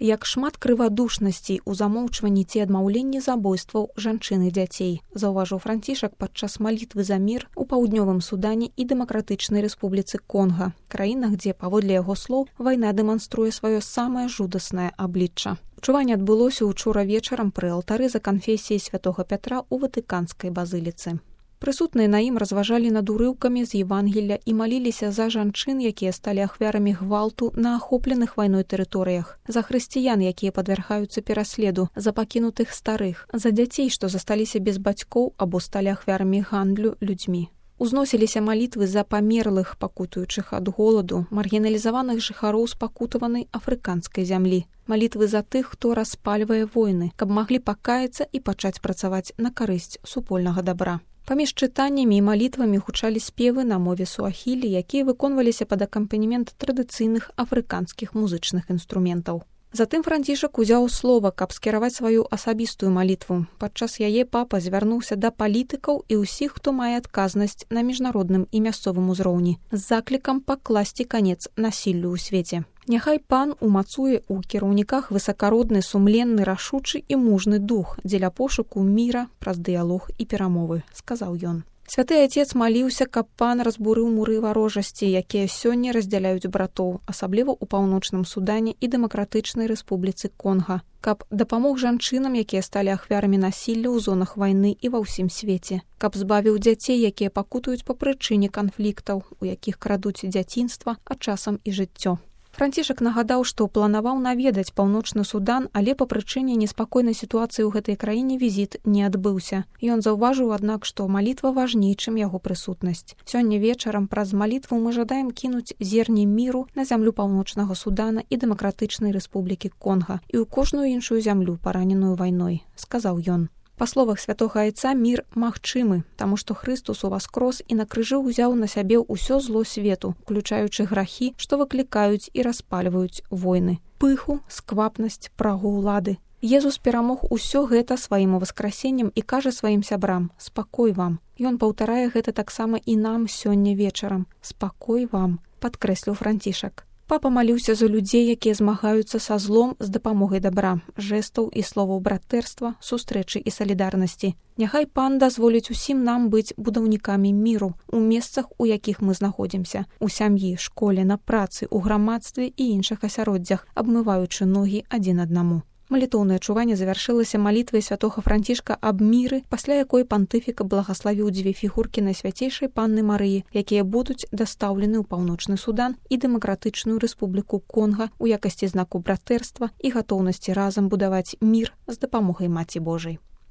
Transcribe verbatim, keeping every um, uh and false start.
Як шмат крывадушнасцей у замоўчванні ці адмаўленні забойстваў жанчын і дзяцей, заўважыў Францішак падчас малітвы за мір у паўднёвым Судане і Дэмакратычнай Рэспубліцы Конга, краінах, дзе, паводле яго слоў, вайна дэманструе сваё самае жудаснае аблічча. Чуванне адбылося ўчора вечарам пры алтары за канфесіяй святога Пятра ў Ватыканскай базыліцы. Прысутныя на ім разважалі над урыўкамі з Евангелля і маліліся за жанчын, якія сталі ахвярамі гвалту на ахопленых вайной тэрыторыях, за хрысціян, якія падвяргаюцца пераследу, за пакінутых старых, за дзяцей, што засталіся без бацькоў або сталі ахвярамі гандлю людзьмі. Узносіліся малітвы за памерлых, пакутуючых ад голаду, маргіналізаваных жыхароў спакутаванай афрыканскай зямлі, малітвы за тых, хто распальвае войны, каб маглі пакаяцца і пачаць працаваць на карысць супольнага дабра. Паміж чытаннямі і малітвамі гучалі спевы на мове суахілі, якія выконваліся пад акампанемент традыцыйных афрыканскіх музычных інструментаў. Затым Францішак узяў слова, каб скіраваць сваю асабістую малітву. Падчас яе папа звярнуўся да палітыкаў і ўсіх, хто мае адказнасць на міжнародным і мясцовым узроўні, з заклікам пакласці канец насіллю ў свеце. Няхай пан умацуе ў кіраўніках высакародны, сумленны, рашучы і мужны дух дзеля пошуку міра праз дыялог і перамовы, сказаў ён. Святы Отец маліўся, каб пан разбурыў муры варожасці, якія сёння раздзяляюць братоў, асабліва ў паўночным Судане і Дэмакратычнай Рэспубліцы Конга, каб дапамог жанчынам, якія сталі ахвярамі насілля ў зонах вайны і ва ўсім свеце, каб збавіў дзяцей, якія пакутуюць па прычыне канфліктаў, у якіх крадуць дзяцінства, а часам і жыццё. Францішак нагадаў, што планаваў наведаць паўночны Судан, але па прычыне неспакойнай сітуацыі ў гэтай краіне візіт не адбыўся. Ён заўважыў, аднак, што малітва важней, чым яго прысутнасць. Сёння вечарам праз малітву мы жадаем кінуць зерні міру на зямлю паўночнага Судана і Дэмакратычнай Рэспублікі Конга і ў кожную іншую зямлю, параненую вайной, сказаў ён. Па словах святога Айца, мір магчымы, таму што Хрыстус уваскрос і на крыжы ўзяў на сябе ўсё зло свету, уключаючы грахі, што выклікаюць і распальваюць войны, пыху, сквапнасць, прагу ўлады. Езус перамог усё гэта сваім уваскрасеннем і кажа сваім сябрам: «Спакой вам». Ён паўтарае гэта таксама і нам сёння вечарам. «Спакой вам», падкрэсліў Францішак. Папа маліўся за людзей, якія змагаюцца са злом з дапамогай дабра, жэстаў і словаў братэрства, сустрэчы і салідарнасці. Няхай пан дазволіць усім нам быць будаўнікамі міру у месцах, у якіх мы знаходзімся, у сям'і, школе, на працы, у грамадстве і іншых асяроддзях, абмываючы ногі адзін аднаму. Малітоўнае чуванне завяршылася малітвай святога Францішка аб міры, пасля якой пантыфік благаславіў дзве фігуркі Найсвяцейшай Панны Марыі, якія будуць дастаўлены ў паўночны Судан і Дэмакратычную Рэспубліку Конга ў якасці знаку братэрства і гатоўнасці разам будаваць мір з дапамогай Маці Божай.